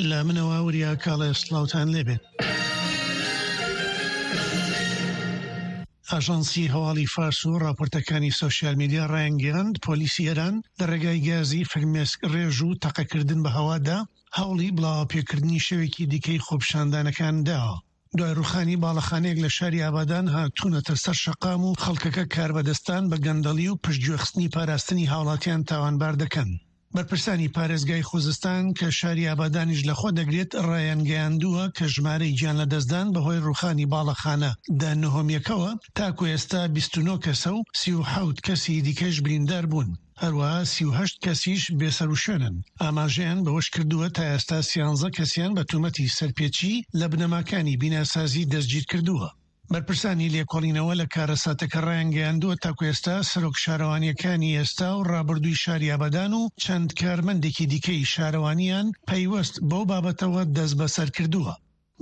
لە منەوە وریا کاڵێ سڵاوتان لێبێت. ئاژانسی هەواڵی فارس و ڕاپۆرتەکانی سۆشیال میدیا ڕایانگەیاند، پۆلیسی ئێران لە ڕێگای گازی فرمێسک ڕێژ و تەقەکردن بە هەوادا هەوڵی بڵاوەپێکردنی شەوێکی دیکەی خۆپیشاندانەکان داوە. دوای ڕووخانی باڵەخانەیەک لە شاری ئابادان هاتوونەتە سەر شەقام و خەڵکەکە کاربەدەستان بە گەندەڵی و پشتگوێخستنی پاراستنی هاوڵاتیان تاوانبار دەکەن. بەرپرسانی پارێزگای خوزستان کە شاری ئابادانیش لەخۆ دەگرێت ڕایانگەیاندووە کە ژمارەی گیانلەدەستدان بەهۆی ڕووخانی باڵەخانە دە نهۆمییەکەوە تاکو ئێستا 29 کەسە و 37 کەسی دیکەش بریندار بوون، هەروەها 38 کەسیش بێسەروشوێنن. ئاماژەیان بەوەشکردووە تا ئێستا سیانزە کەسیان بە تومەتی سەرپێچی لە بنەماکانی بیناسازی دەستگیرکردووە. بەرپرسانی لێکۆڵینەوە لە کارەساتەکە ڕایانگەیاندووە، تاکو ئێستا سەرۆک شارەوانییەکانی ئێستا و ڕابردووی شاری ئابادان و چەند کارمەندێکی دیکەی شارەوانییان پەیوەست بەو بابەتەوە دەستبەسەر کردووە.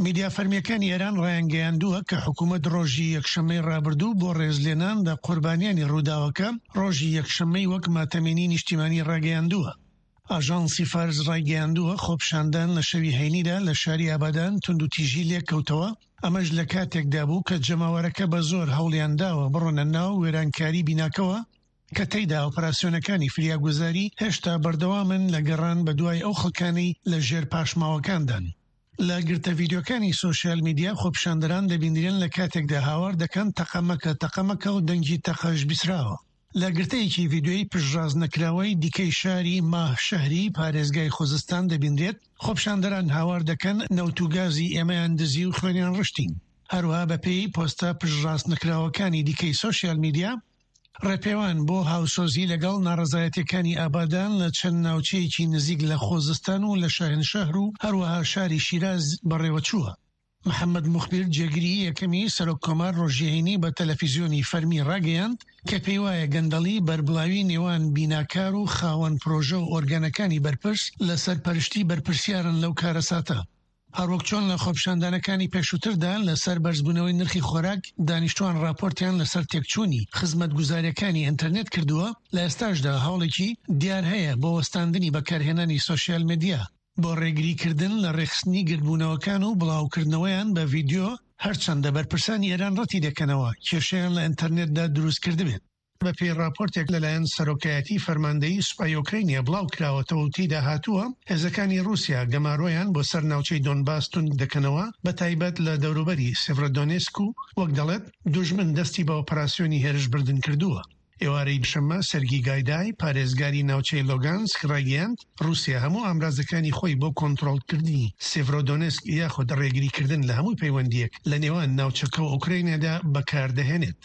میدیا فەرمییەکانی ئێران ڕایانگەیاندووە کە حکومەت ڕۆژی یەکشەممەی ڕابردوو بۆ ڕێزلێنان لە قوربانیانی ڕووداوەکە ڕۆژی یەکشەممەی وەک ماتەمینی نیشتیمانی ڕاگەیاندووە. ئاژانسی فارس ڕایگەیاندووە، خۆپیشاندان لە شەوی هەینیدا لە شاری ئابادان توندوتیژی لێکەوتەوە، ئەمەش لە کاتێکدا بوو کە جەماوەرەکە بە زۆر هەوڵیانداوە بڕۆنە ناو وێرانکاری بیناکەوە کە تێیدا ئۆپەراسیۆنەکانی فریاگوزاری هێشتا بەردەوامن لە گەڕان بەدوای ئەو خەڵکانەی لە ژێر پاشماوەکاندان. لە گرتە ڤیدیۆکانی سۆشیال میدیا خۆپیشاندەران دەبیندرێن لە کاتێکدا هاوار دەکەن تەقە مەکە تەقە مەکە و دەنگی تەقەش بیسراوە. لە گرتەیەکی ڤیدیۆی پشتڕاستنەکراوەی دیکەی شاری ماه شەهری پارێزگای خوزستان دەبینرێت، خۆپیشاندەران هاوار دەکەن نەوت و گازی ئێمەیان دزی و خوێنیان ڕشتین. هەروەها بەپێی پۆستە پشتڕاستنەکراوەکانی دیکەی سۆشیال میدیا، ڕێپێوان بۆ هاوسۆزی لەگەڵ ناڕەزایەتیەکانی ئابادان لە چەند ناوچەیەکی نزیک لە خۆزستان و لە شاهنشەهر و هەروەها شاری شیراز بەڕێوەچووە. محەمەد موخبیر جێگری یەکەمی سەرۆک کۆمار ڕۆژی هەینی بە تەلەفیزیۆنی فەرمی ڕاگەیاند کە پێیوایە گەندەڵی بەربڵاوی نێوان بیناکار و خاوەن پرۆژە و ئۆرگانەکانی بەرپرس لە سەرپەرشتی بەرپرسیارن لەو کارەساتە. هەروەک چۆن لە خۆپیشاندانەکانی پێشووتردا لەسەر بەرزبوونەوەی نرخی خۆراک دانیشتوان ڕاپۆرتیان لەسەر تێکچوونی خزمەتگوزارییەکانی ئینتەرنێت کردووە، لە ئێستاشدا هەوڵێکی دیار هەیە بۆ وەستاندنی بەکارهێنانی سۆشیال میدیا. بۆ ڕێگریکردن لە ڕێکخستنی گردبوونەوەکان و بڵاوکردنەوەیان بە ڤیدیۆ، هەرچەندە بەرپرسانی ئێران ڕەتیدەکەنەوە کێشەیان لە ئینتەرنێتدا دروستکردبێت. بەپێی ڕاپۆرتێک لەلایەن سەرۆکایەتی فەرماندەیی سوپای ئۆکرەینیا بڵاوکراوەتەوە و تێیدا هاتووە، هێزەکانی ڕووسیا گەمارۆیان بۆ سەر ناوچەی دۆنباس توند دەکەنەوە، بەتایبەت لە دەوروبەری سێڤرۆدۆنێسک و وەک دەڵێت، دوژمن دەستی بە ئۆپەراسیۆنی هێرشبردن کردووە. ئێوارەی شەممە سەرگی گایدای، پارێزگاری ناوچەی لۆگانسک ڕایگەیاند، ڕووسیا هەموو ئامرازەکانی خۆی بۆ کۆنترۆڵکردنی سێڤرۆدۆنێسک یاخود ڕێگریکردن لە هەموو پەیوەندییەک لە نێوان ناوچەکە و ئۆکرەینادا بەکاردەهێنێت.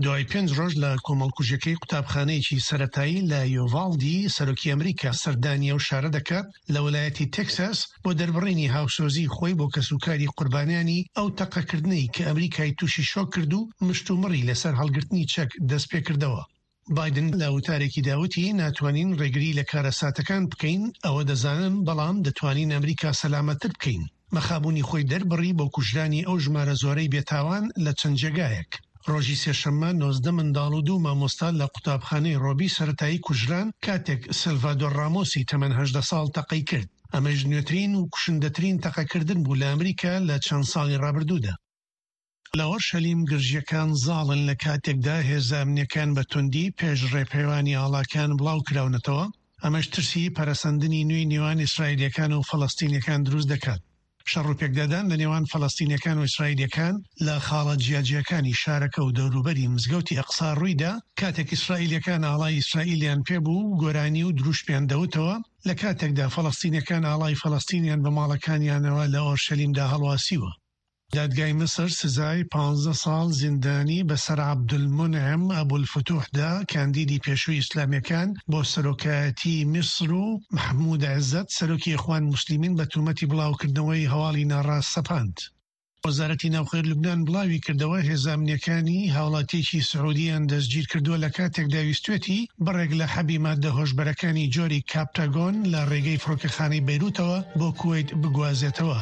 دوای پێنج ڕۆژ لە کۆمەڵکوژیەکەی قوتابخانەیەکی سەرەتایی لە یۆڤاڵدی، سەرۆکی ئەمریکا سەردانی ئەو شارە دەکات لە ویلایەتی تێکساس بۆ دەربڕینی هاوسۆزی خۆی بۆ کەسوکاری قوربانیانی ئەو تەقەکردنەی کە ئەمریکای تووشی شۆک کرد و مشتومڕی لەسەر هەڵگرتنی چەک دەستپێکردەوە. بایدن لە وتارێکیدا وتی، ناتوانین ڕێگری لە کارەساتەکان بکەین، ئەوە دەزانم، بەڵام دەتوانین ئەمریکا سەلامەتتر بکەین. مەخابوونی خۆی دەربڕی بۆ کوژرانی ئەو ژمارە زۆرەی بێتاوان لە چەند جێگایەک. ڕۆژی سێشەممە 19 منداڵ و دوو مامۆستا لە قوتابخانەی ڕۆبی سەرەتایی کوژران کاتێک سێلڤادۆر ڕامۆسی تەمەن 18 ساڵ تەقەی کرد. ئەمەش نوێترین و کوشندەترین تەقەکردن بوو لە ئەمریکا لە چەند ساڵی ڕابردوودا. لە ئۆرشەلیم گرژییەکان زاڵن لە کاتێکدا هێزە ئەمنییەکان بە توندی پێش ڕێپێوانی ئاڵاکان بڵاوکراونەتەوە، ئەمەش ترسی پەرەسەندنی نوێی نێوان ئیسرائیلییەکان و فەلەستینییەکان دروست دەکات. شەڕ و پێکدادان لە نێوان فەلەستینییەکان و ئیسرائیلییەکان لە خاڵە جیاجیاکانی شارەکە و دەوروبەری مزگەوتی ئەقسا ڕوویدا، کاتێک ئیسرائیلییەکان ئاڵای ئیسرائیلیان پێبوو و گۆرانی و دروشمیان دەوتەوە، لە کاتێکدا فەلەستینییەکان ئاڵای فەلەستینیان بە ماڵەکانیانەوە لە ئۆرشەلیمدا هەڵواسیوە. دادگای میسر سزای 15 ساڵ زیندانی بەسەر عەبدولمونعم ئەبولفتوحدا، کاندیدی پێشووی ئیسلامییەکان بۆ سەرۆکایەتیی میسر و مەحمود عزەت، سەرۆکی ئیخوان موسلیمین بە تۆمەتی بڵاوکردنەوەی هەواڵی ناڕاست سەپاند. وەزارەتی ناوخۆی لوبنان بڵاویکردەوە، هێزە ئەمنییەکانی هاوڵاتییەکی سعودییان دەستگیرکردووە لەکاتێکدا ویستویەتی بڕێک لە حەبی ماددە هۆشبەرەکانی جۆری کاپتاگۆن لە ڕێگەی فڕۆکەخانەی بەیروتەوە بۆ کوەیت بگوازێتەوە.